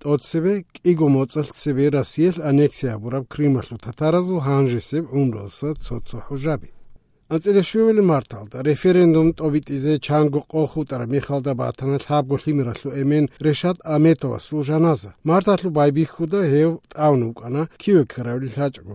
ტოცebe კიგო მოწელსebe რასიელ ანექსია ბურაბ კრიმაშლუ თათარაზუ ჰანჟესებ უნდოსა ცოცო ჰუჟაბი ანწელეშვილი მართალდა რეფერენდუმ ტოვიტიზე ჩანგო ყოხუტარა მიხალდა ბათანა თაბგოლი მირასლუ ემენ რეშატ ამეტოვა სულჟანაზა მართალუ ბაიბიხუდა ჰევ ტაუნუ უკანა კივე ქრავილი საჭგო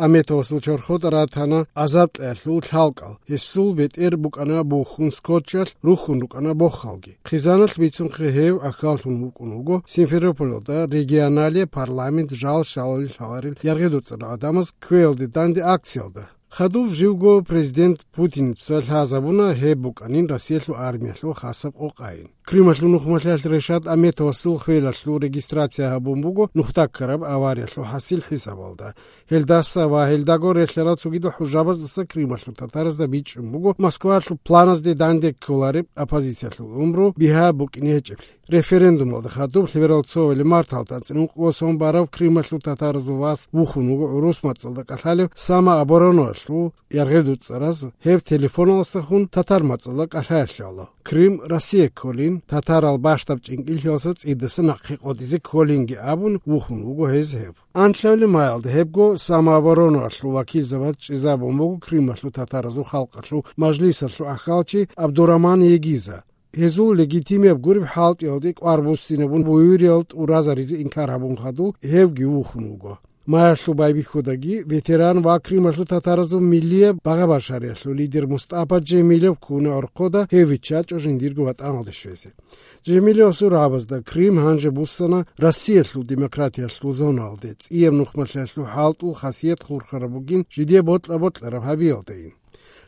ამეტოვა სულჩორხოტარა თანა აზაპტელუ თალკალ ესულ ბეტერ ბუკანა ბუხუნ სკოჩალ რუხუნ უკანა ბოხალგი ხიზანალ მიცუნ ხევ ახალთუნ უკუნუგო სიმფეროპოლოდა რეგიონალე პარლამენტ ჟალ შალი შალარი იარგედუცრა ადამიანს ქველდი დანდი აქციალდა ხადუв ჟივგო პრეზიდენტ პუტინ ცალჰაზაბუნა ჰებუკანინ რასიელუ არმიაშლუ ხასაბ ყოყაინ კრიმაშლუ ნუხმაშალ რეშატ ამეთოსულ ხველაშლუ რეგისტრაცია ჰაბუმბუგო ნუხტაკრაბ ავარიაშლუ ჰასილ ჰისაბალდა ჰელდასა ვა ჰელდაგო რეშლერაც უგიდო ჰუჟაბაზ დასა კრიმაშლუ თათარაზ და ბიჭუმბუგო მოსკვაშლუ პლანას დე დანდე კოლარი აპოზიციაშლუ უმბრო ბიჰა ბუკინი ეჭეფლი რეფერენდუმალდა ხადუв ლიბერალცოველი მართალთან წინუყოსონ ბარავ კრიმაშლუ თათარაზ ვას უხუნუგო რუსმაწალდა კახალე სამა აბორონოშ იარგედუცრას ჰევ ტელეფონალსახუნ თათარმაწლა კაშააშალა კრიმ რასიე კოლინ თათარალ ბაშტაბ ჭინკილხელსა წიდასა ნახიყოდიზე კოლინგი აბუნ უხუნ უგო ჰეზჰევ ანჩევლი მაილდ ჰებგო სამაბორონოშლუ ვაკილზავად ჭიზაბომოგო კრიმაშლუ თათარაზუ ხალყაშლუ მაჟლისაშლუ ახალჩი აბდურამან ეგიზა ეზულ ლეგიტიმებ გურიბ ჰალტიალდი ყვარბუსინებუნ ბუირიალტ ურაზარიზე ინკარაბუნ ხადუ ჰევგი უხუნ უგო მააშლუ ბაიბიხოდაგი ვეტერან ვაკრიმაშლუ თათარაზუ მილია ბაღაბაშარიაშლუ ლიდერ მუსტაფა ჯემილევ კუნა ორყოდა ჰევიჩა ჭოჟინდირგო ვატამალდეშვეზე ჯემილევ სურაბაზდა კრიმ ჰანჯე ბუსანა რასიელუ დემოკრატიაშლუ ზონალდე წიემ ნუხმაშლუ ჰალტულ ხასიეთ ხურხარაბუგინ ჟიდიე ბოტლა ჰაბიალდეინ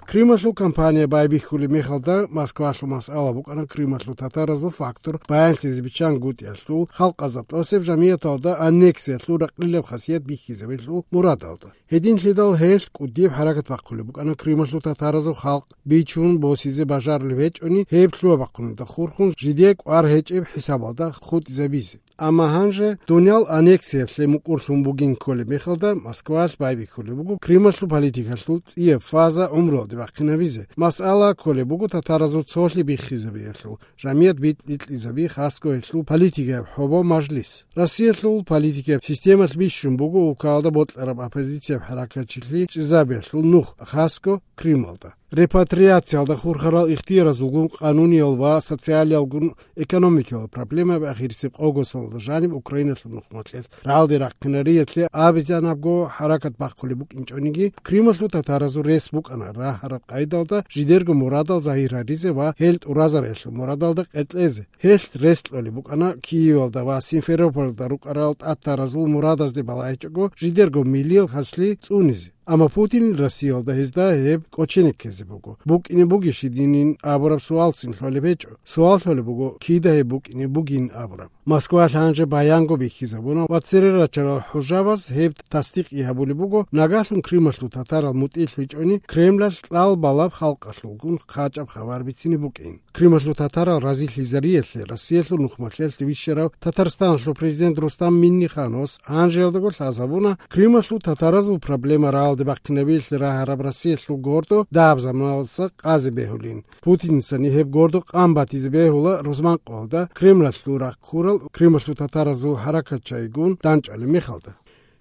კრიმაშლუ კამპანია ბაიბიხული მიხალდა მოსკვაშლუ მასალა უკანა კრიმაშლუ თათარაზუ ფაქტორ ბაიანშლიზი ბიჩან გუტიაშლუ ხალყაზა პროსებ ჟამიათალდა ანექსიაშლუ რაყლილებ ხასიეთ ბიხიზებელუ მურადალდა ჰედინშლიდალ ჰეს კუდიებ ჰარაკატ ვაყული უკანა კრიმაშლუ თათარაზუ ხალყ ბიჩუნ ბოსიზე ბაჟარლი ვეჭონი ჰეფლუ ვაყული და ხურხუნ ჟიდიე ყვარ ჰეჭებ ჰისაბალდა ხუტიზებიზი ამა ჰანჟე დუნიალ ანექსიაშლე მუკურშუმბუგინ კოლე მიხალდა მოსკვაშ ბაიბიხული უკუ კრიმაშლუ პოლიტიკაშლუ წიე ფაზა უმროლდი ვახინებიზე მასალა კოლე უკუ თათარაზუ ცოლი ბიხიზებიაშლუ ჟამიათ ბიტლიზები ხასკოეშლუ პოლიტიკა ჰობო მაჟლის რასიელუ პოლიტიკა სისტემას ბიშუმბუგუ უკალდა ბოტლერა ოპოზიცია ჰარაკაჩილი ჭიზაბიაშლუ ნუხ ხასკო კრიმალდა რეპატრიაცია და ხურხარალ იხტიარაზ უგუნ ყანუნიალ ვა სოციალიალ გუნ ეკონომიკალ პრობლემები ახირსებ ყოგოსალ და ჟანიმ უკრაინაშლუ ნუხმოჩელ რალდი რაკნერიეთლე აბიზანაბგო ჰარაკატ ბახული ბუკინჭონიგი კრიმაშლუ თათარაზუ რესბუკანა რა ჰარა ყაიდალდა ჟიდერგო მურადალ ზაირარიზე ვა ჰელტ ურაზარეშლუ მურადალდა ყეტლეზე ჰელტ რესტლოლი ბუკანა კიივალ და ვა სიმფეროპოლ და რუკარალ თათარაზუ მურადაზ დი ბალაიჭგო ჟიდერგო მილიელ ხასლი წუნიზი ამა პუტინ რასიალდა ჰეზდა ჰებ კოჩენიკეზე ბუგო ბუკინი ბუგიში დინინ აბორაბ სუალცინ ჰოლებეჭო სუალთოლე ბუგო კიდა ჰე ბუკინი ბუგინ აბორაბ მოსკვა ჰანჯე ბაიანგო ბიხიზაბუნა ვაცერერაჩა ჰუჟაბას ჰებ ტასტიკი ჰაბული ბუგო ნაგაშლუნ კრიმაშლუ თათარალ მუტილ ვიჭონი კრემლაშ ყალ ბალაბ ხალყაშლუ გუნ ხაჭაბ ხავარბიცინი ბუკინ კრიმაშლუ თათარალ რაზილიზარიელე რასიელუ ნუხმაშელ ტივიშერა თათარსტანშლუ პრეზიდენტ რუსტამ მინიხანოს ანჟელდგო ლაზაბუნა კრიმაშლუ თათარაზუ პრობლემა რა ბაქნებილ რა ჰარაბრასიელუ გორდო დააბზამალსა ყაზი ბეჰულინ პუტინსანი ჰებ გორდო ყამბათიზ ბეჰულა რუსმან ყოლდა კრემლაშლუ რა ქურალ კრიმაშლუ თათარაზუ ჰარაკაჩაიგუნ დანჭალი მიხალდა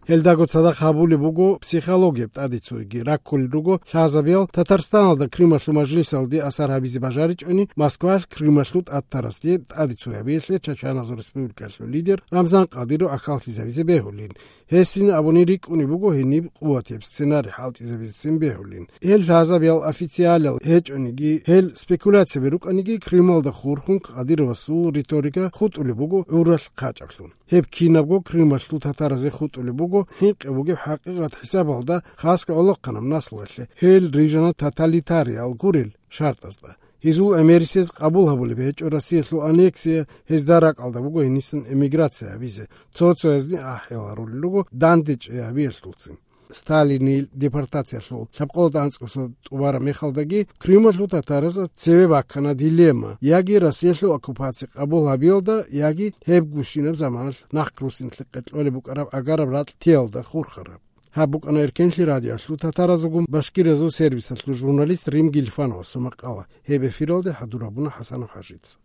ჰელდაგოცა და ხაბული ბუგო ფსიქოლოგია ტადიცუიგი რაკული რუგო ხაზაბიელ თათარსტანალ და კრიმაშლუ მაჟლისალდი ასარაბიზი ბაჟარიჭონი მოსკვაშ კრიმაშლუ თათარასდი ტადიცუიაბიელე ჩაჩანაზ რესპუბლიკაშლუ ლიდერ რამზან ყადირო ახალხიზებიზე ბეჰულინ ჰესინ აბონირიკუნი ბუგო ჰინი ყუათებს სცენარი ჰალტიზების ციმ ბეჰულინ ჰელ ხაზაბიელ ოფიციალ ჰეჭონიგი ჰელ სპეკულაციები რუკანიგი კრიმალ და ხურხუნ ყადიროსულ რიტორიკა ხუტული ბუგო ურალ ხაჭაფლუნ ჰებ კინაბგო კრიმაშლუ თათარაზე ხუტული ბუგო ჰიყებუგი ჰაყიღათ ჰისაბალდა ხასკა ოლოყანამ ნასლუელე ჰელ რიჟანა თათალიტარიალ გურილ შარტაზდა იზულ ამერისეს ყაბულაბული ბეჭორასიელუ ანექსია ჰეზდარაკალდა ბუგო ინისն ემიგრაცია ვიზე ცოცოეზნი ახელარული ლუგო დანდეჭია ვიელტულცინ სტალინი დეპორტაციაშლუ საბყოლდანწყოსო ტუვარა მიხალდაგი კრიმაშლუ თათარაზა ცევე ბაქანა დილემა იაგი რასიელუ ოკუპაცია ყაბულაბიელდა იაგი ჰებგუშინებ ზამანშ ნახკრუსინ ყეტლოლე ბუკარა აგარა ბრატ თიელდა ხურხარა ჰაბუკანა ერკენში რადიაშლუ თათარაზუგუმ ბაშკირეზო სერვისაშლუ ჟურნალისტ რიმ გილფანოს მақალა ჰებე ფიროლდე ჰადურაბუნა ჰასანო ჰაჟიც